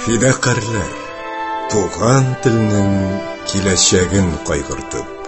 Фидакарьләр, туган телнең киләчәген кайгыртып.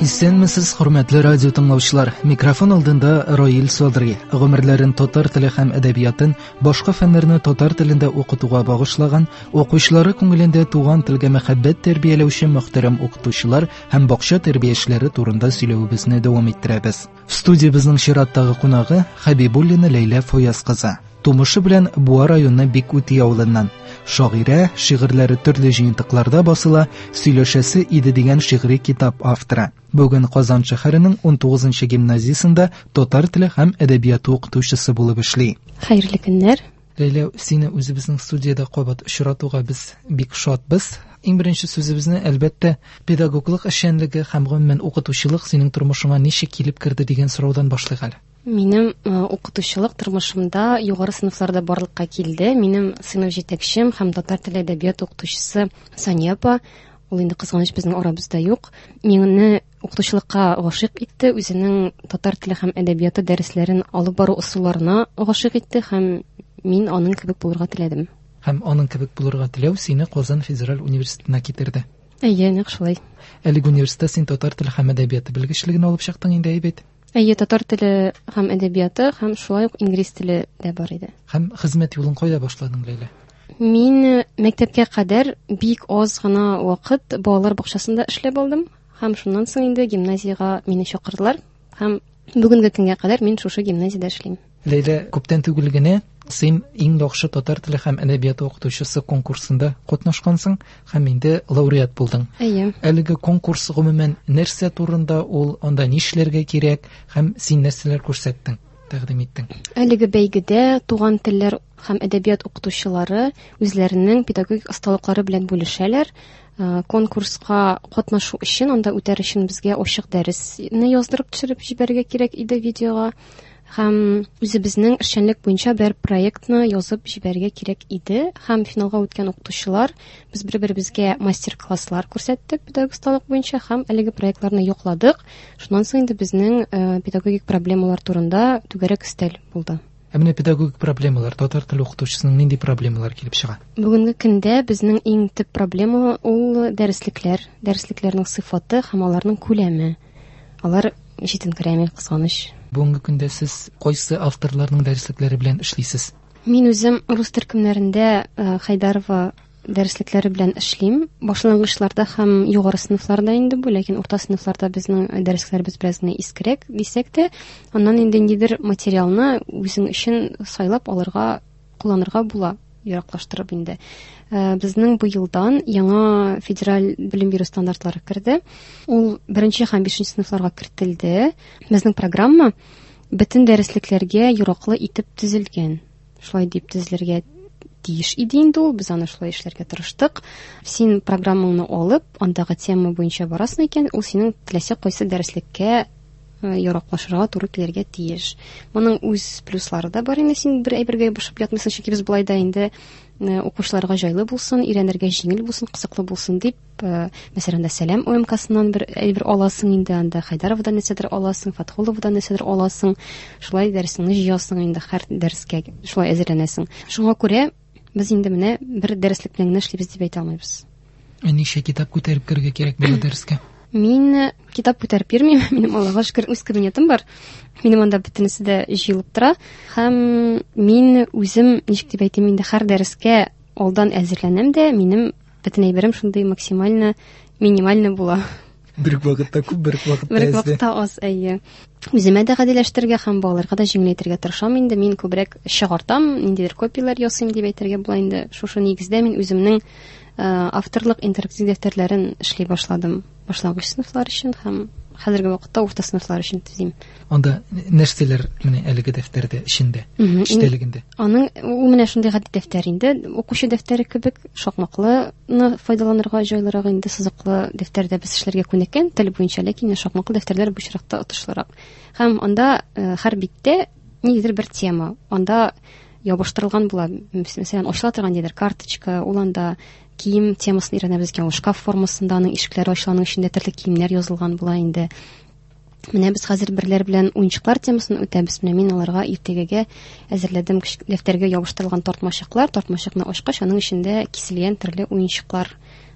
Исәнмесез, хөрмәтле радио тыңлаучылар. Микрофон алдында Раил Садри. Гомерләрен татар теле һәм әдәбиятын, башка фәннәрне татар телендә укытуга багышлаган, укучылары күңелендә туган телгә мәхәббәт тәрбияләүче мөхтәрәм укытучылар һәм бакча тәрбиячеләре турында сөйләвебезне дәвам иттерәбез. Студиябезнең чираттагы кунагы Хәбибуллина Ләйлә Фаяз кызы. Тумышы белән Буа районы Бик-Үти авылыннан. Шагыйрә, шигырьләре төрле җыентыкларда басыла, Сөйләшәсе иде дигән шигъри китап авторы. Бүген Казан шәһәренең 19 нчы гимназиясендә татар теле һәм әдәбияты укытучысы булып эшли. Хәерле көннәр! Ләйлә, сине үзебезнең студиядә кабат очратуга без бик шатбыз. Иң беренче сүзебезне, әлбәттә, педагоглык эшчәнлеге һәм гомумән укытучылык синең тормышыңа ничек килеп керде дигән сораудан башлыйк әле. Минем укытучылык тормышымда югары сыйныфларда барлыкка килде. Минем сыйныф җитәкчем һәм татар теле әдәбияты укытучысы Сания апа, ул инде кызганыч безнең арабызда юк. Мине укытучылыкка гашыйк итте, үзенең татар теле һәм әдәбияты дәресләрен алып бару ысулларына гашыйк итте һәм мин аның кебек булырга теләдем. Һәм аның кебек булырга теләү сине Казан федераль университетына китерде. Әйе, нәкъ шулай. Әлеге университетта син татар теле һәм әдәбияты белгечлеген алып чыктың инде, әйе бит? Әйе, татар теле һәм әдәбияты һәм шулай ук инглиз теле дә бар иде. Һәм хезмәт юлын кайда башладың, Ләйлә? Мин мәктәпкә кадәр бик аз гына вакыт балалар бакчасында эшләп алдым һәм шуннан соң инде гимназиягә мине чакырдылар һәм бүгенге көнгә кадәр мин шушы гимназиядә эшлим. Ләйлә, күптән түгел генә син иң яхшы татар теле һәм әдәбияты укытучысы конкурсында катнашкансың һәм инде лауреат булдың. Әйе. Әлеге конкурс гомумән нәрсә турында ул, анда нишләргә кирәк һәм син нәрсәләр күрсәттең, тәкъдим иттең? Әлеге бәйгедә туган телләр һәм әдәбият укытучылары үзләренең педагогик осталыклары белән бүлешәләр. Конкурска катнашу өчен, анда үтәр өчен безгә ачык дәресне яздырып төшереп җибәрергә кирәк иде видеога. Һәм үзебезнең эшчәнлек буенча бер проектны язып җибәрергә кирәк иде. Һәм финалга үткән укытучылар без бер-беребезгә мастер-класслар күрсәттек педагогик осталык буенча һәм әлеге проектларны якладык. Шуннан соң инде безнең педагогик проблемалар турында түгәрәк өстәл булды. Ә менә педагогик проблемалар, татар теле укытучысының нинди проблемалар килеп чыга? Бүгенге көндә безнең иң төп проблема ул дәреслекләр, дәреслекләрнең сыйфаты һәм аларның күләме. Алар җитенкерәми, кызганыч. Бүгенге көндә сез кайсы авторларның дәреслекләре белән эшлисез? Мин үзем рус төркемнәрендә Хәйдарова дәреслекләре белән эшлим. Башлангычларда һәм югары сыйныфларда инде бу, ләкин урта сыйныфларда безнең дәреслекләребез бераз генә искерәк дисәк тә, аннан инде ниндидер материалны үзең өчен сайлап алырга, кулланырга була, яраклаштырып инде. Безнең быелдан яңа федераль белем бирү стандартлары керде. Ул беренче һәм бишенче сыйныфларга кертелде. Безнең программа бөтен дәреслекләргә яраклы итеп төзелгән. Шулай дип төзелергә тиеш иде инде ул, без аны шулай эшләргә тырыштык. Син программаңны алып, андагы тема буенча барасың икән, ул синең теләсә кайсы дәреслеккә яраклашырга туры килергә тиеш. Моның үз плюслары да бар инде, син бер әйбергә ябышып ятмыйсың, чөнки без болай да инде укучыларга җайлы булсын, өйрәнергә җиңел булсын, кызыклы булсын дип, мәсәлән, анда Сәлам ОМКсыннан бер әйбер аласың инде, анда Хәйдаровадан нәрсәдер аласың, Фатхуловадан нәрсәдер аласың, шулай дәресеңне җыясың инде, һәр дәрескә шулай әзерләнәсең. Шуңа күрә без инде менә бер дәреслек белән генә эшлибез дип әйтә алмыйбыз. Ә ничә китап күтәреп керергә кирәк була дәрескә? Мин китап күтәреп йөрмим, минем Аллага шөкер үз кабинетым бар. Минем анда бөтенесе дә җыелып тора. Һәм мин үзем, ничек дип әйтим инде, һәр дәрескә алдан әзерләнәм дә, минем бөтен әйберем шундый максимально минимально була. Бер үк вакытта күп, бер үк вакытта Бер үк вакытта аз, әйе. Үземә дә гадиләштерергә һәм балаларга да җиңеләйтергә тырышам инде. Мин күбрәк чыгартам, ниндидер копияләр ясыйм дип әйтергә була инде. Шушы нигездә мин үземнең авторлык интерактив дәфтәрләрен эшли башладым. Башлангыч сыйныфлар өчен һәм хәзерге вакытта урта сыйныфлар өчен төзим. Анда нәрсәләр менә әлеге дәфтәрдә эчендә, эчтәлегендә? Аның ул менә шундый гади дәфтәр инде, укучы дәфтәре кебек, шакмаклыны файдаланырга җайлырак инде, сызыклы дәфтәрдә без эшләргә күнеккән тел буенча, ләкин шакмаклы дәфтәрләр бу очракта отышлырак. Һәм анда һәр биттә ниндидер бер тема, анда ябыштырылган була. Мәсәлән, ачыла торган ниндидер карточка, ул анда кием темасын өйрәнәбез икән, ул шкаф формасында, аның ишекләре ачыла, аның эчендә төрле киемнәр язылган була инде. Менә без хәзер берләр белән уенчыклар темасын үтәбез. Менә мин аларга иртәгәгә әзерләдем дәфтәргә ябыштырылган тартмачыклар. Тартмачыкны ачкач, аның эчендә киселгән төрле уенчыклар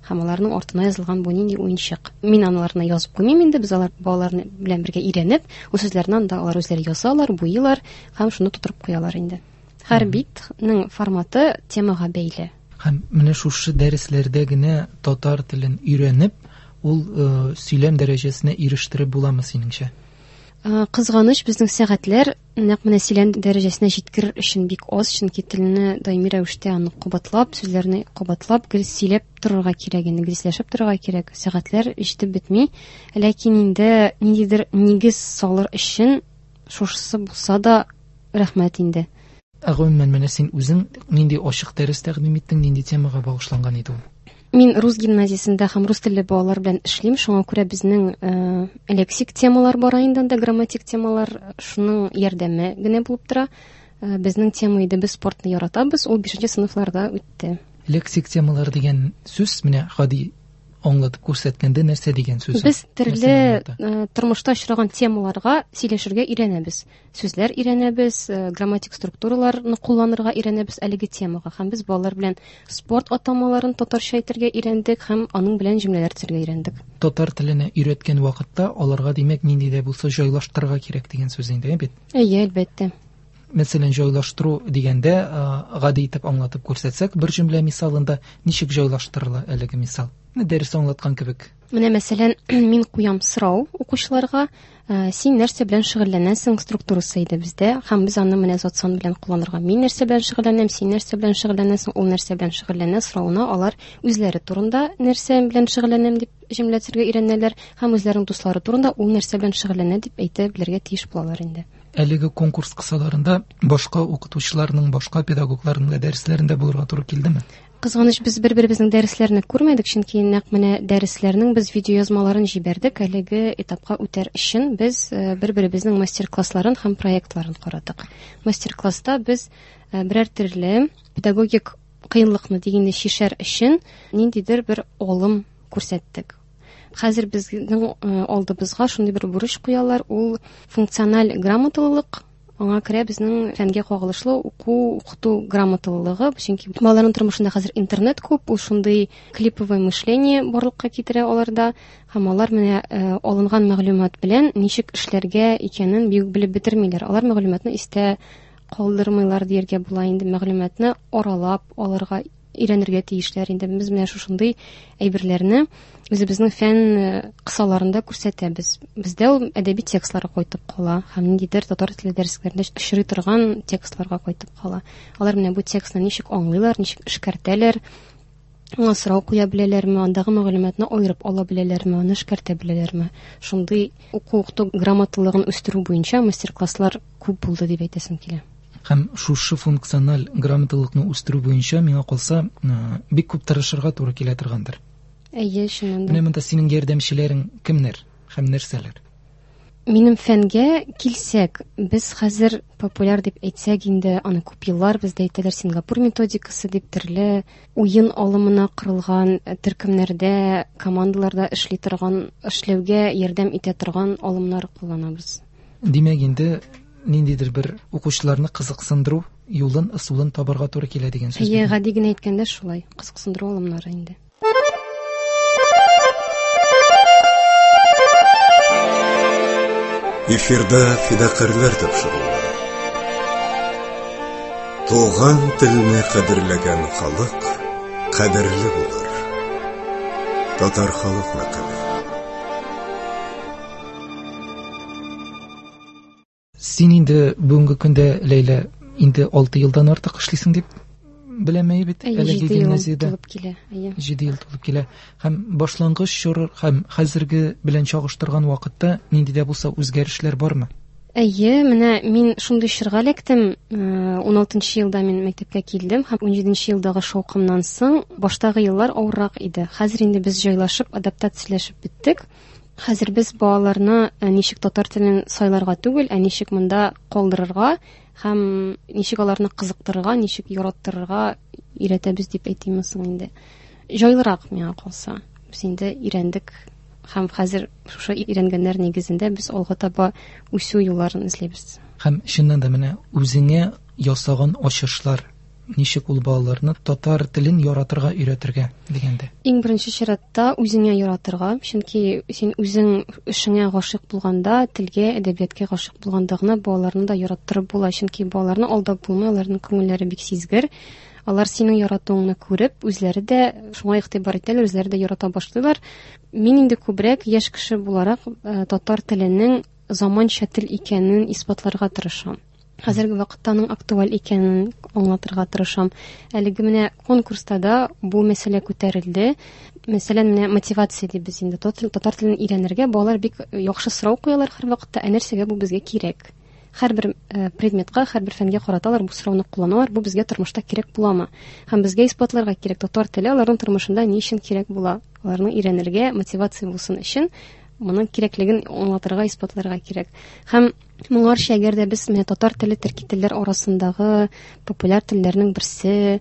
һәм аларның артына язылган бу нинди уенчык. Мин аналарны язып куймыйм инде, без алар балалар белән бергә өйрәнеп, ул сүзләрне анда алар үзләре язалар, буйыйлар һәм шуны тутырып куялар инде. Һәр битнең форматы темага бәйле. Һәм менә шушы дәресләрдә генә татар телен өйрәнеп, ул сөйләм дәрәҗәсенә ирештереп буламы синеңчә? Кызганыч, безнең сәгатьләр нәкъ менә сөйләм дәрәҗәсенә җиткерер өчен бик аз, чөнки телне даими рәвештә аны кабатлап, сүзләрне кабатлап, гел сөйләп торырга кирәк инде, гел сөйләшеп торырга кирәк. Сәгатьләр җитеп бетми. Ләкин инде ниндидер нигез салыр өчен шушысы булса да рәхмәт инде. Ә гомумән, менә син үзең нинди ачык дәрес тәкъдим иттең, нинди темага багышланган иде ул? Мин рус гимназиясендә һәм рус телле балалар белән эшлим, шуңа күрә безнең лексик темалар бара инде анда, грамматик темалар, шуның ярдәме генә булып тора. Безнең тема иде без спортны яратабыз, ул 5 сыйныфларда үтте. Лексик темалар дигән сүз менә гади аңлатып күрсәткәндә нәрсә дигән сүз? Без төрле тормышта очраган темаларга сөйләшергә өйрәнәбез. Сүзләр өйрәнәбез, грамматик структураларны кулланырга өйрәнәбез әлеге темага. Һәм без балалар белән спорт атамаларын татарча әйтергә өйрәндек һәм аның белән җөмләләр төзергә өйрәндек. Татар теленә өйрәткән вакытта аларга, димәк, нинди дә булса җайлаштырырга кирәк дигән сүз инде, бит? Әйе, әлбәттә. Мәсәлән, җайлаштыру дигәндә, гади итеп аңлатып күрсәтсәк, бер җөмлә мисалында ничек җайлаштырыла әлеге мисал? Дәрес аңлаткан кебек. Менә, мәсәлән, мин куям сорау укучыларга, син нәрсә белән шөгыльләнәсең структурасы иде бездә, һәм без аны менә зат сан белән кулланырга. Мин нәрсә белән шөгыльләнәм, син нәрсә белән шөгыльләнәсең, ул нәрсә белән шөгыльләнә соравына алар үзләре турында нәрсә белән шөгыльләнәм дип җөмлә төзергә өйрәнәләр һәм үзләренең дуслары турында ул нәрсә белән шөгыльләнә дип әйтә белергә тиеш булалар инде. Әлеге конкурс кысаларында башка укытучыларның, башка педагогларның да дәресләрендә булырга туры килдеме? Кызганыч, без бер-беребезнең дәресләрне күрмәдек, чөнки нәкъ менә дәресләрнең без видеоязмаларын җибәрдек. Әлеге этапка үтәр өчен без бер-беребезнең мастер-классларын һәм проектларын карадык. Мастер-класста без берәр төрле педагогик кыенлыкны дигәндә чишәр өчен ниндидер бер алым күрсәттек. Хәзер безнең алдыбызга шундый бер бурыч куялар, ул функциональ грамоталылык. Аңа керә безнең фәнгә кагылышлы уку, укыту грамоталылыгы, чөнки балаларның тормышында хәзер интернет күп, ул шундый клиповое мышление барлыкка китерә аларда, һәм алар менә алынган мәгълүмат белән ничек эшләргә икәнен бик белеп бетермиләр. Алар мәгълүматны истә калдырмыйлар дияргә була инде, мәгълүматны аралап алырга өйрәнергә тиешләр инде. Без менә шушындый әйберләрне үзебезнең фән кысаларында күрсәтәбез. Бездә ул әдәби текстларга кайтып кала һәм ниндидер татар теле дәресләрендә очрый торган текстларга кайтып кала. Алар менә бу текстны ничек аңлыйлар, ничек эшкәртәләр, аңа сорау куя беләләрме, андагы мәгълүматны аерып ала беләләрме, аны эшкәртә беләләрме. Шундый уку-укыту грамоталыгын үстерү буенча мастер-класслар күп булды дип әйтәсем килә. Һәм шушы функциональ грамоталыкны үстерү буенча миңа калса, бик күп тырышырга туры килә торгандыр. Әйе, чыннан да. Менә монда синең ярдәмчеләрең кемнәр һәм нәрсәләр? Минем фәнгә килсәк, без хәзер популяр дип әйтсәк инде, аны күп еллар бездә әйтәләр Сингапур методикасы дип, төрле уен алымына корылган төркемнәрдә, командаларда эшли торган, эшләүгә ярдәм итә торган алымнар кулланабыз. Димәк инде ниндидер бер укучыларны кызыксындыру юлын, ысулын табарга туры килә дигән сүз. Әйе, гади генә әйткәндә шулай, кызыксындыру алымнары инде. Эфирда фидакарьләр тапшыруы. Туган телне кадерләгән халык кадерле булыр. Татар халык мәкале. Син инде бүгенге көндә, Ләйлә, инде 6 елдан артык эшлисең дип беләм бит, Әйе, әлеге 7 ел гимназиядә. тулып килә, әйе. 7 ел тулып килә. Һәм башлангыч чор һәм хәзерге белән чагыштырган вакытта нинди дә булса үзгәрешләр бармы? Әйе, менә мин шундый чорга эләктем. 16 елда мин мәктәпкә килдем һәм 17 елдагы шаукымнан соң баштагы еллар авыррак иде. Хәзер инде без җайлашып, адаптацияләшеп беттек. Хәзер без балаларны ничек татар телен сайларга түгел, ә ничек монда калдырырга һәм ничек аларны кызыктырырга, ничек яраттырырга өйрәтәбез дип әйтимме соң инде. Җайлырак миңа калса. Без инде өйрәндек Һәм хәзер шушы өйрәнгәннәр нигезендә без алга таба үсү юлларын эзлибез. Һәм чыннан да менә үзеңә ясаган ачышлар ничек ул балаларны татар телен яратырга өйрәтергә дигәндә? Иң беренче чиратта үзеңә яратырга, чөнки син үзең эшеңә гашыйк булганда, телгә, әдәбиятка гашыйк булганда гына балаларны да яраттырып була, чөнки балаларны алдап булмый, аларның күңелләре бик сизгер. Алар синең яратуыңны күреп, үзләре дә шуңа игътибар итәләр, үзләре дә ярата башлыйлар. Мин инде күбрәк яшь кеше буларак татар теленең заманча тел икәнен исбатларга тырышам. Хәзерге вакытта аның актуаль икәнен аңлатырга тырышам. Әлеге менә конкурста да бу мәсьәлә күтәрелде. Мәсәлән, менә мотивация дибез инде. Татар телен өйрәнергә балалар бик яхшы сорау куялар һәрвакытта, ә нәрсәгә бу безгә кирәк? Һәрбер предметка, һәрбер фәнгә карата алар бу сорауны кулланалар, бу безгә тормышта кирәк буламы? Һәм безгә исбатларга кирәк, татар теле аларның тормышында ни өчен кирәк була? Аларның өйрәнергә мотивация булсын өчен моның кирәклеген аңлатырга, исбатларга кирәк. Һәм моңарча әгәр дә без менә татар теле төрки телләр арасындагы популяр телләрнең берсе,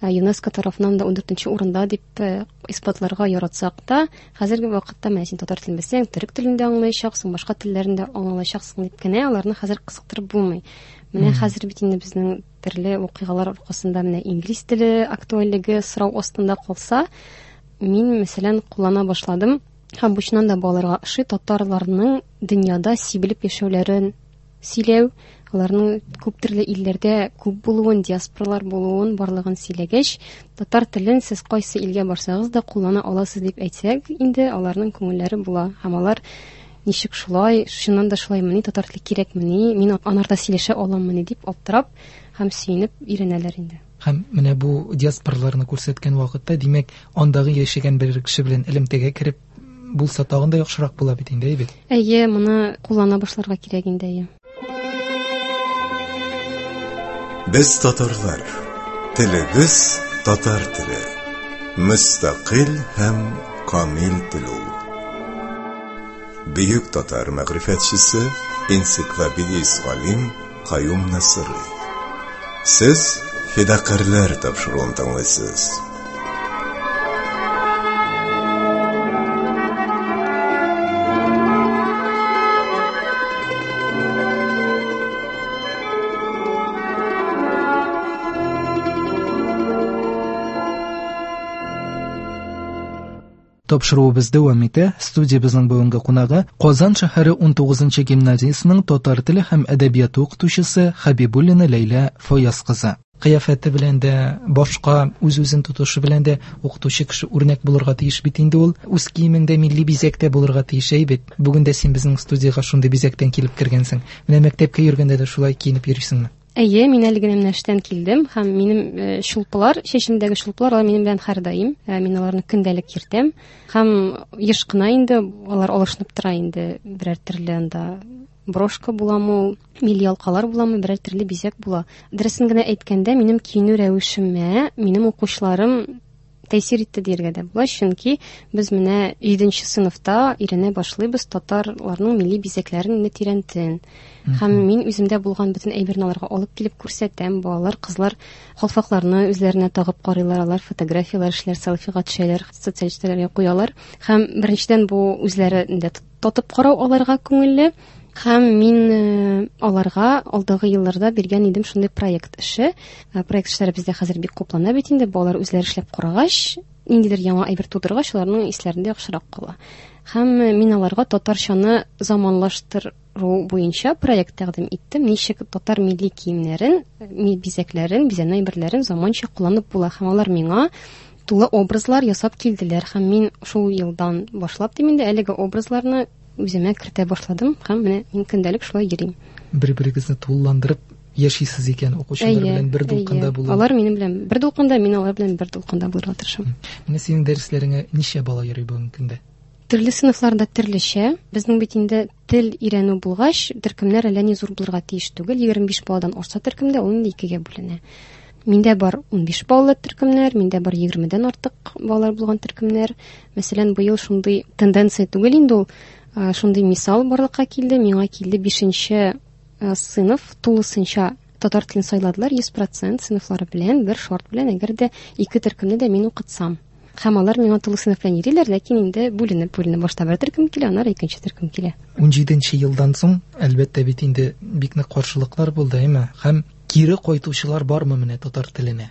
ЮНЕСКО тарафыннан да 14 урында дип исбатларга яратсак та, хәзерге вакытта менә син татар телен белсәң, төрек телен дә аңлаячаксың, башка телләрен дә аңлаячаксың дип кенә аларны хәзер кызыктырып булмый. Менә хәзер бит инде безнең төрле вакыйгалар аркасында менә инглиз теле актуальлеге сорау астында калса, мин, мәсәлән, куллана башладым. Һәм бу чыннан да балаларга ошый, татарларның дөньяда сибелеп яшәүләрен сөйләү, аларның күп төрле илләрдә күп булуын, диаспоралар булуын, барлыгын сөйләгәч, татар телен сез кайсы илгә барсагыз да куллана аласыз дип әйтсәк, инде аларның күңелләре була. Һәм алар ничек шулай, чыннан да шулаймыни, татар теле кирәкмени, мин анарда сөйләшә аламмыни дип аптырап һәм сөенеп өйрәнәләр инде. Һәм менә бу диаспораларны күрсәткән вакытта, димәк, андагы яшәгән бер кеше белән элемтәгә кереп булса тагын да яхшырак була бит инде, әйе бит? Әйе, моны куллана башларга кирәк инде, әйе. Без татарлар, телебез татар теле. Мөстәкыйль һәм камил тел ул. Бөек татар мәгърифәтчесе, энциклопедист галим Каюм Насыйри. Сез Фидакарьләр тапшыруын тыңлыйсыз. Тапшыруыбыз дәвам итә. Студиябезнең бүгенге кунагы Казан шәһәре 19-нчы гимназиясенең татар теле һәм әдәбияты укытучысы Хәбибуллина Ләйлә Фаяз кызы. Кыяфәте белән дә, башка үз-үзен тотышы белән дә укытучы кеше үрнәк булырга тиеш бит инде ул. Үз киемеңдә милли бизәк тә булырга тиеш, әй бит. Бүген дә син безнең студиягә шундый бизәктән килеп кергәнсең. Менә мәктәпкә йөргәндә дә шулай киенеп йөрисеңме? Әйе, мин әле генә менә эштән килдем һәм минем чулпылар, чәчемдәге чулпылар, алар минем белән һәрдаим. Мин аларны көндәлек йөртәм һәм еш кына инде алар алышынып тора инде, берәр төрле анда брошка буламы ул, милли алкалар буламы, берәр төрле бизәк була. Дөресен генә әйткәндә, минем киенү рәвешемә минем укучыларым тәэсир итте дияргә дә була, чөнки без менә 7 сыйныфта өйрәнә башлыйбыз татарларның милли бизәкләрен инде тирәнтен. Һәм мин үземдә булган бөтен әйберне аларга алып килеп күрсәтәм. Балалар, кызлар калфакларны үзләренә тагып карыйлар, алар фотографияләр эшләр, селфига төшәләр, социаль челтәрләргә куялар. Һәм беренчедән бу үзләрендә татып карау аларга күңелле. Һәм мин аларга алдагы елларда биргән идем шундый проект эше. Проект эшләре бездә хәзер бик күпләнә бит инде. Балалар үзләре эшләп карагач, ниндидер яңа әйбер тудыргач, аларның исләрендә яхшырак кала. Һәм мин аларга татарчаны заманлаштыру буенча проект тәкъдим иттем. Ничек татар милли киемнәрен, бизәкләрен, бизәнү әйберләрен заманча кулланып була. Һәм алар миңа тулы образлар ясап килделәр. Һәм мин шул елдан башлап дим инде әлеге образларны үземә кертә башладым һәм менә мин көндәлек шулай йөрим. Бер-берегезне тулыландырып яшисез икән, укучылар белән бер дулкында булып. Алар минем белән бер дулкында, мин алар белән бер дулкында булырга тырышам. Менә синең дәресләреңә ничә бала йөри бүгенге көндә? Төрле сыйныфларда төрлечә. Безнең бит инде тел өйрәнү булгач, төркемнәр әллә ни зур булырга тиеш түгел. 25 баладан артса төркемдә, ул инде икегә бүленә. Миндә бар 15 балалы төркемнәр, миндә бар 20-дән артык балалар булган төркемнәр. Мәсәлән, быел шундый тенденция түгел инде ул, шундый мисал барлыкка килде. Миңа килде 5-нче сыйныф тулысынча татар телен сайладылар 100% сыйныфлары белән, бер шарт белән, әгәр дә ике төркемне дә мин укытсам. Һәм алар миңа тулы сыйныф белән йөриләр, ләкин инде бүленеп-бүленеп башта бер төркем килә, аннары икенче төркем килә. 17 елдан соң, әлбәттә бит инде бик нык каршылыклар булды, әйме? Һәм кире кайтучылар бармы менә татар теленә?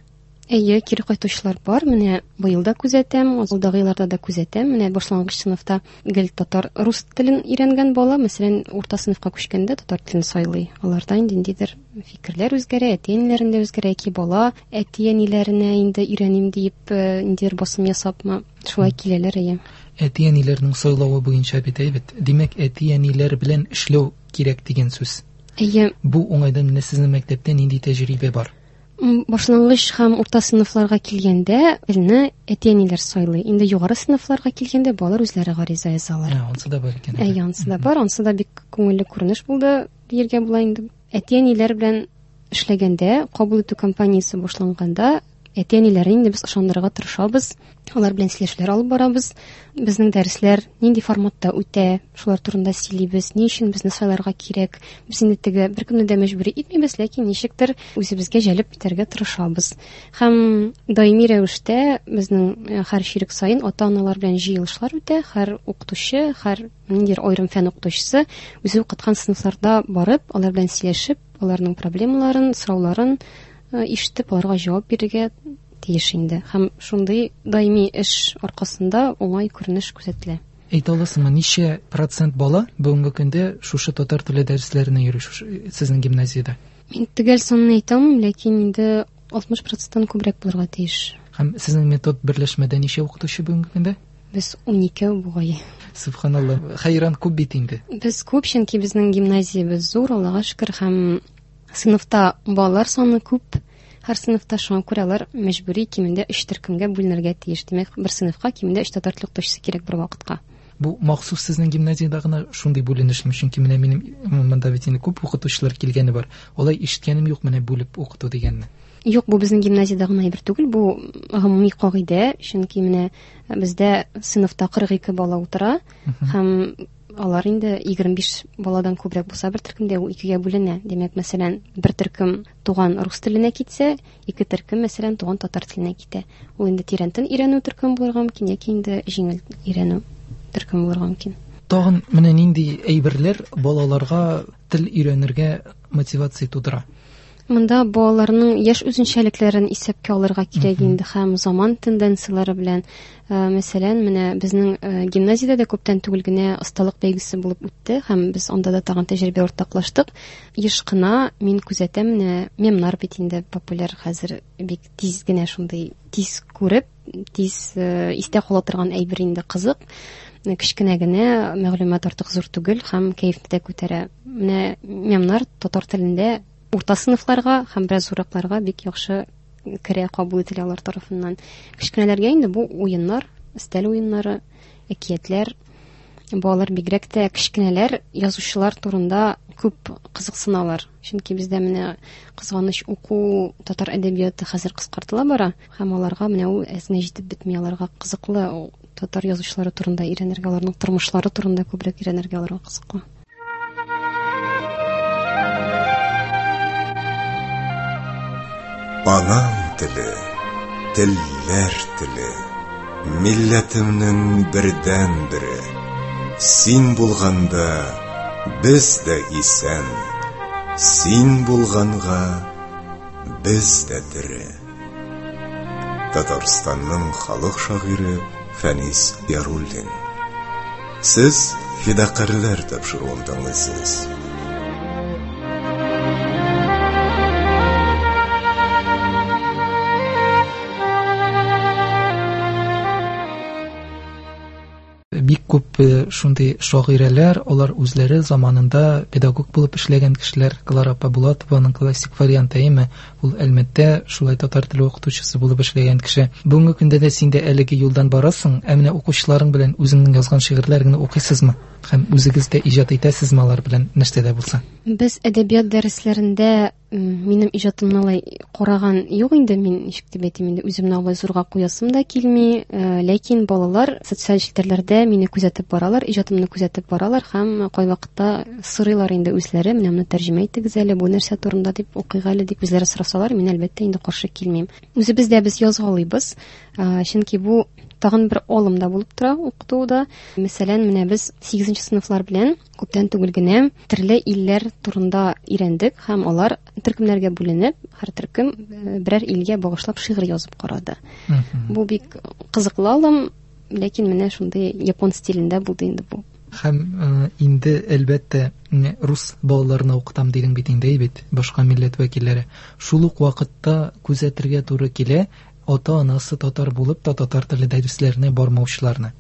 Әйе, кире кайтучылар бар. Менә быел да күзәтәм, алдагы елларда да күзәтәм. Менә башлангыч сыйныфта гел татар, рус телен өйрәнгән бала, мәсәлән, урта сыйныфка күчкәндә татар телен сайлый. Аларда инде ниндидер фикерләр үзгәрә, әти-әниләрендә үзгәрә, яки бала әти-әниләренә инде өйрәним диеп, ниндидер басым ясапмы, шулай киләләр, әйе. Әти-әниләрнең сайлавы буенча бит, әйбәт. Димәк, әти-әниләр белән эшләү кирәк дигән сүз. Әйе. Бу уңайдан менә сезнең мәктәптә нинди тәҗрибә бар? Башлангыч һәм урта сыйныфларга килгәндә телне әти-әниләр сайлый. Инде югары сыйныфларга килгәндә балалар үзләре гариза язалар. Ә, ансы да бар икән. Әйе, ансы да бар. Ансы да бик күңелле күренеш булды дияргә була инде. Әти-әниләр белән эшләгәндә, кабул итү кампаниясе башланганда, әти-әниләрне инде без ышандырырга тырышабыз. Алар белән сөйләшүләр алып барабыз. Безнең дәресләр нинди форматта үтә, шулар турында сөйлибез, ни өчен безне сайларга кирәк. Без инде теге беркемне дә мәҗбүри итмибез, ләкин ничектер үзебезгә җәлеп итәргә тырышабыз. Һәм даими рәвештә безнең һәр чирек саен ата-аналар белән җыелышлар үтә, һәр укытучы, һәр ниндидер аерым фән укытучысы үзе укыткан сыйныфларда барып, алар белән сөйләшеп, аларның проблемаларын, сорауларын ишетеп, аларга җавап бирергә тиеш инде. Һәм шундый даими эш аркасында уңай күренеш күзәтелә. Әйтә аласыңмы, ничә процент бала бүгенге көндә шушы татар теле дәресләренә йөри шушы сезнең гимназиядә? Мин төгәл санын әйтә алмыйм, ләкин инде 60%-тан күбрәк булырга тиеш. Һәм сезнең метод берләшмәдә ничә укытучы бүгенге көндә? Без 12 бугай. Субханалла, хәйран күп бит инде. Без күп, чөнки безнең гимназиябез зур, Аллага шөкер, һәм сыйныфта балалар саны күп. Һәр сыйныфта шуңа күрә алар мәҗбүри кимендә 3 төркемгә бүленергә тиеш. Димәк, бер сыйныфка кимендә 3 татар теле укытучысы кирәк бер вакытка. Бу махсус сезнең гимназиядә гына шундый бүленешме? Чөнки менә минем монда бит инде күп укытучылар килгәне бар. Алай ишеткәнем юк менә бүлеп укыту дигәнне. Юк, бу безнең гимназиядә гына әйбер түгел, бу гомуми кагыйдә, чөнки менә бездә сыйныфта 42 бала утыра һәм алар инде 25 баладан күбрәк булса бер төркемдә ул икегә бүленә. Димәк, мәсәлән, бер төркем туган рус теленә китсә, ике төркем, мәсәлән, туган татар теленә китә. Ул инде тирәнтен өйрәнү төркеме булырга мөмкин, яки инде җиңел өйрәнү төркеме булырга мөмкин. Тагын менә нинди әйберләр балаларга тел өйрәнергә мотивация тудыра? Монда балаларның яшь үзенчәлекләрен исәпкә алырга кирәк инде һәм заман тенденцияләре белән. Мәсәлән, менә безнең гимназиядә дә күптән түгел генә осталык бәйгесе булып үтте һәм без анда да тагын тәҗрибә уртаклаштык. Еш кына мин күзәтәм, менә мемнар бит инде популяр хәзер, бик тиз генә шундый тиз күреп, тиз истә кала торган әйбер инде, кызык. Кечкенә генә мәгълүмат артык зур түгел һәм кәефне дә күтәрә. Менә мемнар татар телендә урта сыйныфларга һәм бераз зурракларга бик яхшы керә, кабул ителә алар тарафыннан. Кечкенәләргә инде бу уеннар, өстәл уеннары, әкиятләр. Балалар бигрәк тә кечкенәләр язучылар турында күп кызыксыналар. Чөнки бездә менә кызганыч уку татар әдәбияты хәзер кыскартыла бара һәм аларга менә ул әз генә җитеп бетми, аларга кызыклы татар язучылары турында өйрәнергә, аларның тормышлары турында күбрәк өйрәнергә аларга кызыклы. Анам теле, телләр теле, милләтемнең бердән-бере. Син булганда без дә исән, син булганга без дә тере. Татарстанның халык шагыйре Фәнис Яруллин. Сез Фидакарьләр тапшыруын тыңлыйсыз. Бик күп шундый шагыйрәләр, алар үзләре заманында педагог булып эшләгән кешеләр. Клара апа Булатованың классик варианты, әйеме? Ул Әлмәттә шулай татар теле укытучысы булып эшләгән кеше. Бүгенге көндә дә син дә әлеге юлдан барасың, ә менә укучыларың белән үзеңнең язган шигырьләреңне укыйсызмы? Һәм үзегез дә иҗат итәсезме алар белән нәрсә дә булса? Без әдәбият дәресләрендә минем иҗатымны алай караган юк инде, мин ничек дип әйтим инде, үземне алай зурга куясым да килми, ләкин балалар социаль челтәрләрдә мине күзәтеп баралар, иҗатымны күзәтеп баралар һәм кайвакытта сорыйлар инде үзләре, менә моны тәрҗемә итегез әле, бу нәрсә турында дип укыйк әле дип үзләре сорасалар, мин әлбәттә инде каршы килмим. Үзебез дә без язгалыйбыз, чөнки бу тагын бер алым да булып тора укытуда. Мәсәлән, менә без 8 сыйныфлар белән күптән түгел генә төрле илләр турында өйрәндек һәм алар төркемнәргә бүленеп, һәр төркем берәр илгә багышлап шигырь язып карады. Бу бик кызыклы алым, ләкин менә шундый япон стилендә булды инде бу. Һәм инде әлбәттә рус балаларына укытам дидең бит инде, бит башка милләт вәкилләре. Шул ук вакытта күзәтергә туры килә, ата-анасы татар булып та татар теле дәресләренә бармаучыларны.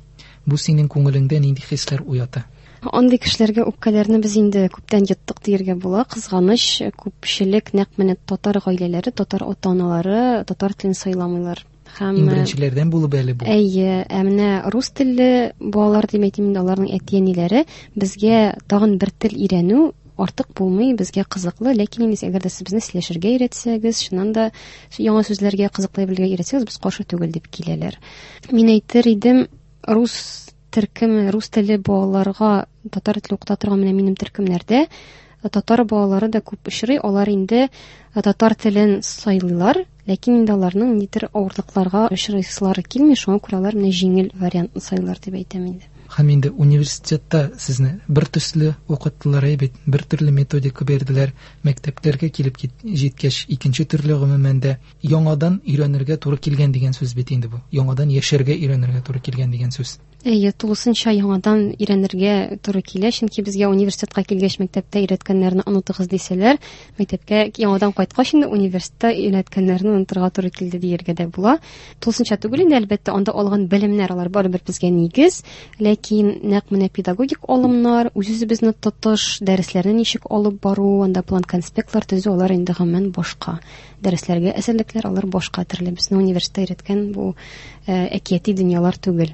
Бу синең күңелеңдә нинди хисләр уята? Андый кешеләргә үпкәләрне без инде күптән йоттык дияргә була. Кызганыч, күпчелек нәкъ менә татар гаиләләре, татар ата-аналары татар телен сайламыйлар. Һәм иң беренчеләрдән булып әле бу. Әйе, ә менә рус телле балалар дип әйтим инде, аларның әти-әниләре безгә тагын бер тел өйрәнү артык булмый, безгә кызыклы, ләкин инде әгәр дә сез безне сөйләшергә өйрәтсәгез, чыннан да яңа сүзләргә кызыклы белергә өйрәтсәгез, без каршы түгел дип киләләр. Мин әйтер идем, рус төркеме, рус теле балаларга татар теле укыта торган менә минем төркемнәрдә татар балалары да күп очрый, алар инде татар телен сайлыйлар, ләкин инде аларның ниндидер авырлыкларга очрыйсылары килми, шуңа күрә алар менә җиңел вариантны сайлар дип әйтәм инде. Һәм инде университетта сезне бер төсле укыттылар, әйбәт, бер төрле методика берделәр, мәктәпләргә килеп җиткәч, икенче төрле гомумән дә яңадан өйрәнергә туры килгән дигән сүз бит инде бу. Яңадан яшәргә өйрәнергә туры килгән дигән сүз. Әйе, тулысынча яңадан өйрәнергә туры килә, чөнки безгә университетка килгәч мәктәптә өйрәткәннәрне онытыгыз дисәләр, мәктәпкә яңадан кайткач инде университетта өйрәткәннәрне онытырга туры килде дияргә дә була. Тулысынча түгел инде, әлбәттә, анда алган белемнәр алар барыбер безгә нигез, ләкин нәкъ менә педагогик алымнар, үз-үзебезне тотыш, дәресләрне ничек алып бару, анда план-конспектлар төзү, алар инде гомумән башка. Дәресләргә әзерлекләр алар башка төрле. Безне университетта өйрәткән бу әкияти дөньялар түгел.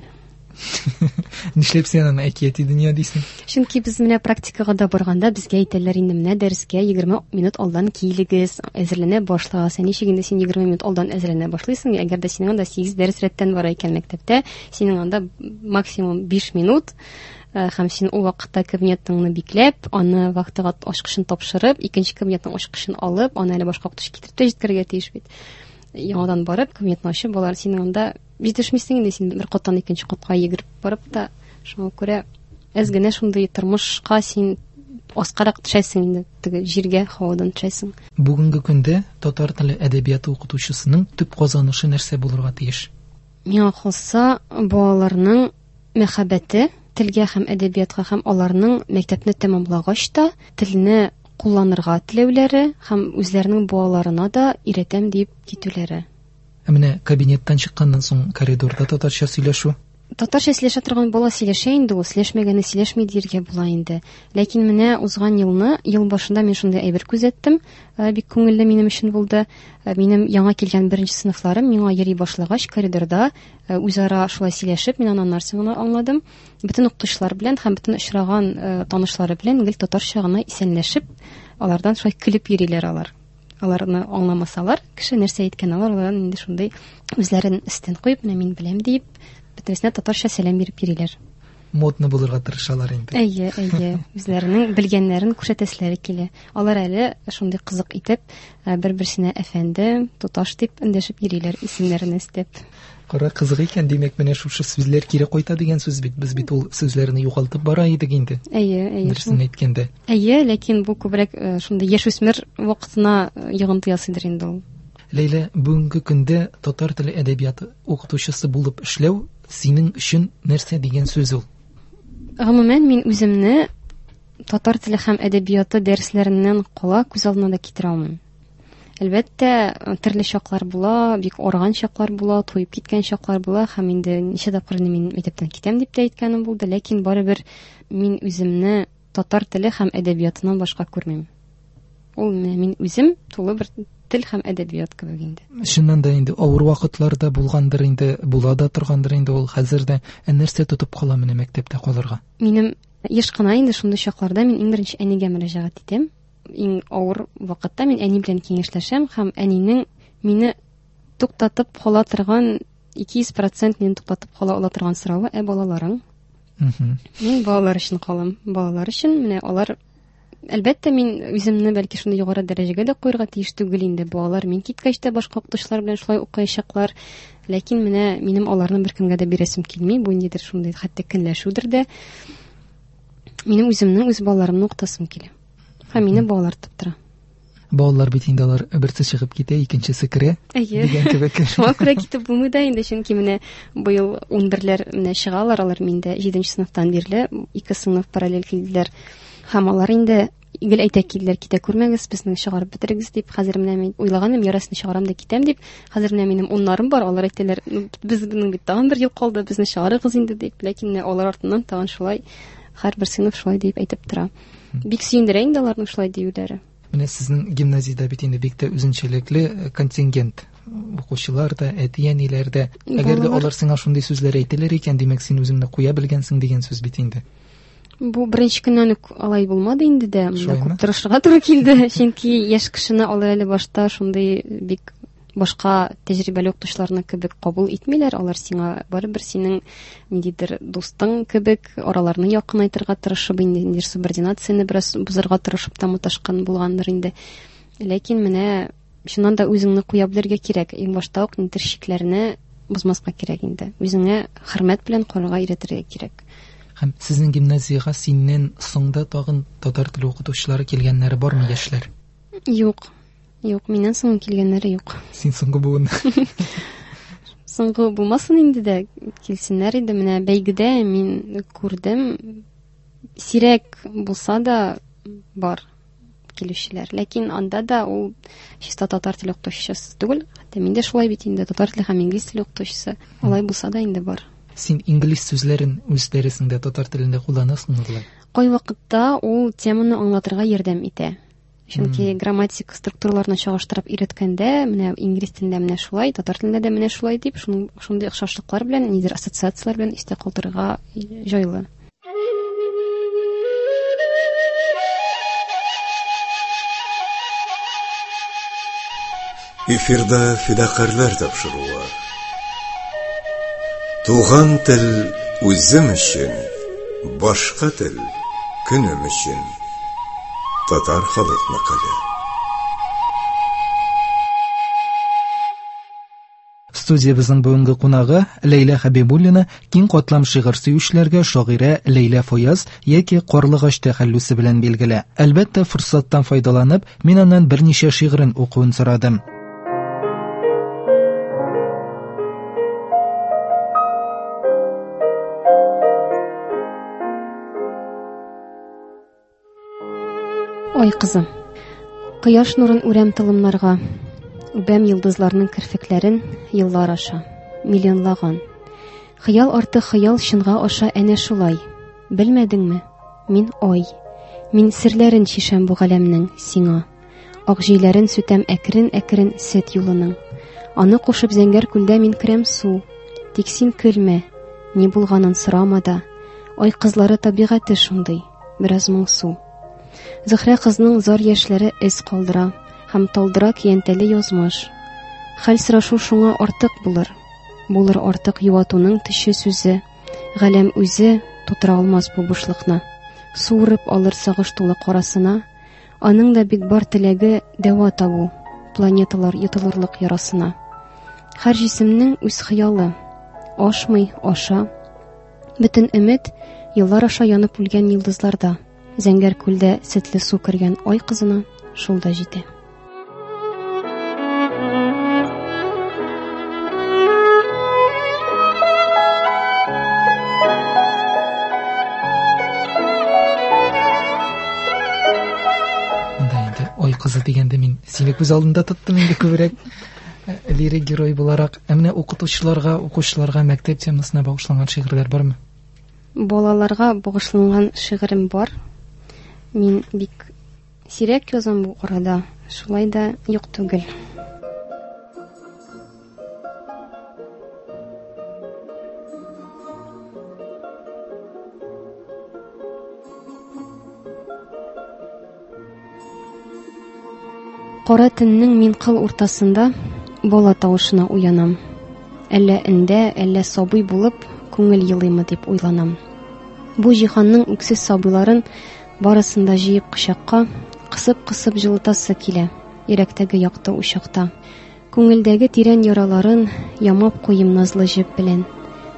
Нишләп син аны әкияти дөнья дисең? Чөнки без менә практикага да барганда безгә әйтәләр инде, менә дәрескә 20 минут алдан килегез, әзерләнә башлагыз. Ә ничек инде син 20 минут алдан әзерләнә башлыйсың, әгәр дә синең анда 8 дәрес рәттән бара икән мәктәптә, синең анда максимум 5 минут, һәм син ул вакытта кабинетыңны бикләп, аны вахтага ачкычын тапшырып, икенче кабинетның ачкычын алып, аны әле башка укытучы китереп тә җиткерергә тиеш бит. Яңадан барып, кабинетны ачып, алар синең анда җитешмисең инде, син бер каттан икенче катка йөгереп барып та, шуңа күрә әз генә шундый тормышка син аскарак төшәсең инде, теге җиргә, һавадан төшәсең. Бүгенге көндә татар теле әдәбияты укытучысының төп казанышы нәрсә булырга тиеш? Миңа калса, балаларның мәхәббәте телгә һәм әдәбиятка һәм аларның мәктәпне тәмамлагач та телне кулланырга теләүләре һәм үзләренең балаларына да өйрәтәм дип китүләре. Ә менә кабинеттан чыкканнан соң коридорда татарча сөйләшү? Татарча сөйләшә торган бала сөйләшә инде ул, сөйләшмәгәнне сөйләшми дияргә була инде. Ләкин менә узган елны, ел башында мин шундый әйбер күзәттем, бик күңелле минем өчен булды. Минем яңа килгән беренче сыйныфларым миңа йөри башлагач, коридорда үзара шулай сөйләшеп, мин аннан нәрсә генә аңладым. Бөтен укытучылар белән һәм бөтен очраган танышлары белән гел татарча гына исәнләшеп, алардан шулай көлеп йөриләр алар. Аларны аңламасалар, кеше нәрсә әйткән, алар алардан инде шундый үзләрен өстен куеп, менә мин беләм дип, бөтенесенә татарча сәлам биреп йөриләр. Модно булырга тырышалар инде. Әйе, әйе. Үзләренең белгәннәрен күрсәтәселәре килә. Алар әле шундый кызык итеп, бер-берсенә әфәнде, туташ дип эндәшеп йөриләр, исемнәрен өстәп. Кара кызык икән, димәк, менә шушы сүзләр кире кайта дигән сүз бит. Без бит ул сүзләрне югалтып бара идек инде. Әйе, әйе. Дөресен әйткәндә. Әйе, ләкин бу күбрәк шундый яшүсмер вакытына йогынты ясыйдыр инде ул. Ләйлә, бүгенге көндә татар теле әдәбияты укытучысы булып эшләү синең өчен нәрсә дигән сүз ул? Гомумән, мин үземне татар теле һәм әдәбияты дәресләреннән кала күз алдына да китерә алмыйм. Әлбәттә, төрле чаклар була, бик арыган чаклар була, туеп киткән чаклар була һәм инде ничә тапкыр инде мин мәктәптән китәм дип тә әйткәнем булды, ләкин барыбер мин үземне татар теле һәм әдәбиятыннан башка күрмим. Ул менә мин үзем тулы бер тел һәм әдәбият кебек инде. Чыннан да инде авыр вакытлар да булгандыр инде, була да торгандыр инде ул хәзер дә. Ә нәрсә тотып кала менә мәктәптә калырга? Минем Еш кына инде шундый чакларда мин иң беренче әнигә мөрәҗәгать итәм. Иң авыр вакытта мин әни белән киңәшләшәм һәм әнинең мине туктатып кала торган 200% мине туктатып кала ала торган соравы, ә балаларың? Мин балалар өчен калам. Балалар өчен менә алар Әлбәттә, мин үземне бәлки шундый югары дәрәҗәгә дә куярга тиеш түгел инде. Балалар мин киткәч тә башка укытучылар белән шулай укыячаклар. Ләкин менә минем аларны беркемгә дә бирәсем килми. Бу ниндидер шундый хәтта көнләшүдер дә. Минем үземнең үз балаларымны укытасым килә. Һәм мине балалар тотып тора. Балалар бит инде алар берсе чыгып китә, икенчесе керә. Әйе. Дигән кебек. Шуңа күрә китеп булмый да инде, чөнки менә быел 11-ләр менә чыгалар, алар миндә 7 сыйныфтан бирле ике сыйныф параллель килделәр. Һәм алар инде гел әйтә килделәр, китә күрмәгез, безне чыгарып бетерегез дип. Хәзер менә мин уйлаганым, ярасын чыгарам да китәм дип. Хәзер менә минем уннарым бар, алар әйтәләр, ну, безнең бит тагын бер ел калды, безне чыгарыгыз инде дип. Ләкин менә алар артыннан тагын шулай һәрбер сыйныф шулай дип әйтеп тора. Бик сөендерә инде аларның шулай диюләре. Менә сезнең гимназиядә бит инде бик тә үзенчәлекле контингент. Укучылар да, әти-әниләр дә. Әгәр дә алар сиңа шундый сүзләр әйтәләр икән, димәк, син үзеңне куя белгәнсең дигән сүз бит инде. Бу беренче көннән үк алай булмады инде дә. Монда күп тырышырга туры килде. Чөнки яшь кешене алар әле башта шундый бик башка тәҗрибәле укытучыларны кебек кабул итмиләр. Алар сиңа барыбер синең ниндидер дустың кебек араларны якынайтырга тырышып, инде ниндидер субординацияне бераз бозарга тырышып та маташкан булгандыр инде. Ләкин менә чыннан да үзеңне куя белергә кирәк. Иң башта ук ниндидер чикләрне бозмаска кирәк инде. Үзеңә хөрмәт белән карарга өйрәтергә кирәк. Һәм сезнең гимназиягә синнән соң да тагын татар теле укытучылары килгәннәре бармы, яшьләр? Юк. Юк, миннән соң килгәннәре юк. Син соңгы буын. Соңгы булмасын инде дә, килсеннәр иде. Менә бәйгедә мин күрдем, сирәк булса да бар килүчеләр. Ләкин анда да ул чиста татар теле укытучысы түгел. Хәтта мин дә шулай бит инде, татар теле һәм инглиз теле укытучысы. Алай булса да инде бар. Син инглиз сүзләрен үз дәресеңдә татар телендә кулланасыңмы болай? Кайвакытта ул теманы аңлатырга ярдәм итә. Чөнки грамматик структураларны чагыштырып өйрәткәндә, менә инглиз телендә менә шулай, татар телендә дә менә шулай дип, шундый охшашлыклар белән, ниндидер ассоциацияләр белән истә калдырырга җайлы. Эфирда фидакарьләр тапшыруы. Туган тел үзем өчен, башка тел көнем өчен. Татар халык мәкале. Студиябезнең бүгенге кунагы Ләйлә Хәбибуллина киң катлам шигырь сөючеләргә шагыйрә Ләйлә Фаяз яки Карлыгач тәхәллүсе белән билгеле. Әлбәттә, форсаттан файдаланып, мин аннан берничә шигырен укуын сорадым. Ай кызы. Кояш нурын үрәм тылымнарга, үбәм йолдызларның керфекләрен еллар аша, миллионлаган. Хыял арты хыял чынга аша әнә шулай. Белмәдеңме? Мин ай. Мин серләрен чишәм бу галәмнең сиңа. Ак җөйләрен сүтәм әкрен-әкрен сөт юлының. Аны кушып зәңгәр күлдә мин керәм су. Тик син көлмә, ни булганын сорама да. Ай кызлары табигате шундый, бераз моңсу. Зөһрә кызның зар яшьләре эз калдыра һәм талдыра көянтәле язмыш. Хәл сорашу шуңа артык булыр. Булыр артык юатуның төче сүзе. Галәм үзе тутыра алмас бу бушлыкны. Суырып алыр сагыш тулы карасына. Аның да бит бар теләге дәва табу, планеталар йотылырлык ярасына. Һәр җисемнең үз хыялы. Ашмый, аша. Бөтен өмет еллар аша янып үлгән йолдызларда. Зәңгәр күлдә сөтле су кергән ай кызына шул да җитә. Монда инде ай кызы дигәндә мин сине күз алдында тоттым инде күбрәк лирик герой буларак. Ә менә укытучыларга, укучыларга мәктәп темасына багышланган шигырьләр бармы? Балаларга багышланган шигырем бар. Мин бик сирәк язам бу арада, шулай да юк түгел. Кара төннең мин кыл уртасында бала тавышына уянам. Әллә өндә, әллә сабый булып, күңел елыймы дип уйланам. Бу җиһанның үксез сабыйларын барысын да җыеп кочакка, кысып-кысып җылытасы килә, йөрәктәге якты учакта. Күңелдәге тирән яраларын ямап куйым назлы җеп белән.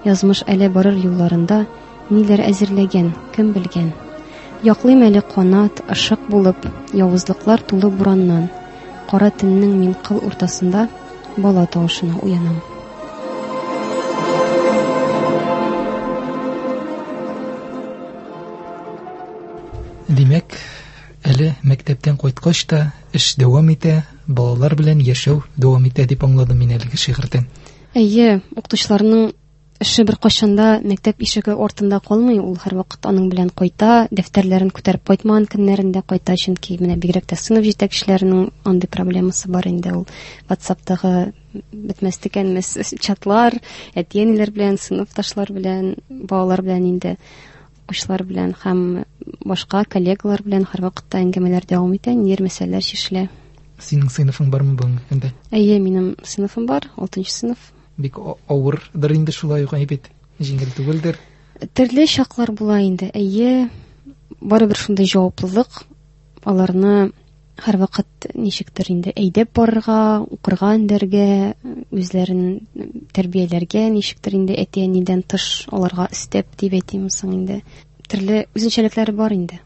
Язмыш әле барыр юлларында ниләр әзерләгән, кем белгән. Яклыйм әле канат, ышык булып, явызлыклар тулы бураннан. Кара төннең мин кыл уртасында бала тавышына уянам. Димәк, әле мәктәптән кайткач та эш дәвам итә, балалар белән яшәү дәвам итә дип аңладым мин әлеге шигырьдән. Әйе, укытучыларның эше беркайчан да мәктәп ишеге артында калмый, ул һәрвакыт аның белән кайта, дәфтәрләрен күтәреп кайтмаган көннәрендә кайта, чөнки менә бигрәк тә сыйныф җитәкчеләренең андый проблемасы бар инде, ул WhatsAppтагы бетмәс төкәнмәс чатлар, әти-әниләр белән, сыйныфташлар белән, балалар белән инде, укучылар белән һәм башка коллегалар белән һәрвакытта әңгәмәләр дәвам итә, ниндидер мәсьәләләр чишелә. Синең сыйныфың бармы бүгенге көндә? Әйе, минем сыйныфым бар, 6 сыйныф. Бик авырдыр инде шулай ук, әйбәт, җиңел түгелдер. Төрле чаклар була инде. Әйе, барыбер шундый җаваплылык, аларны һәрвакыт ничектер инде әйдәп барырга, укырга өндәргә, үзләрен тәрбияләргә ничектер инде әти-әнидән тыш аларга өстәп дип әйтим соң инде. Төрле үзенчәлекләре бар инде.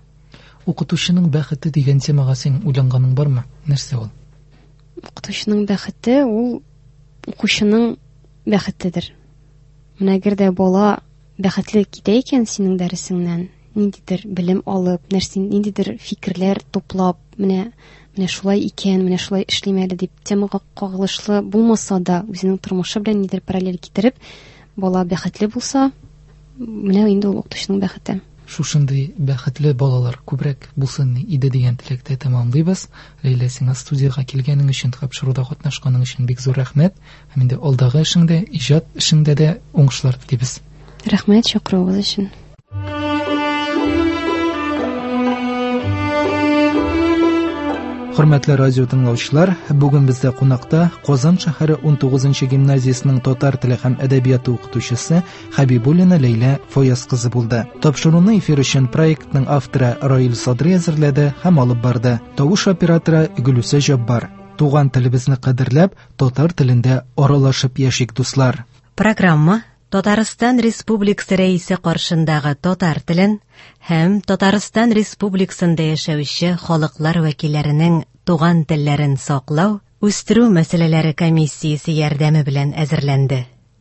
Укытучының бәхете дигән темага син уйланганың бармы? Нәрсә ул? Укытучының бәхете ул укучының бәхетедер. Менә әгәр дә бала бәхетле китә икән синең дәресеңнән, ниндидер белем алып, нәрсә, ниндидер фикерләр туплап, менә менә шулай икән, менә шулай эшлим әле дип темага кагылышлы булмаса да, үзенең тормышы белән нидер параллель китереп, бала бәхетле булса, менә инде ул укытучының бәхете. Шушындый бәхетле балалар күбрәк булсын иде дигән теләктә тәмамлыйбыз. Ләйлә, сиңа студиягә килгәнең өчен, тапшыруда катнашканың өчен бик зур рәхмәт. Һәм инде алдагы эшеңдә, иҗат эшеңдә дә уңышлар телибез. Рәхмәт чакыруыгыз өчен. Хөрмәтле радио тыңлаучылар, бүген бездә кунакта Казан шәһәре 19 гимназиясенең татар теле һәм әдәбияты укытучысы Хәбибуллина Ләйлә Фаяз кызы булды. Тапшыруны эфир өчен проектның авторы Раил Садри әзерләде һәм алып барды. Тавыш операторы Гөлүсә Җаббар. Туган телебезне кадерләп, татар телендә аралашып яшик, дуслар. Программа Татарстан Республикасы Рәисе каршындагы татар телен һәм Татарстан Республикасында яшәүче халыклар вәкилләренең туган телләрен саклау, үстерү мәсьәләләре комиссиясе ярдәме белән әзерләнде.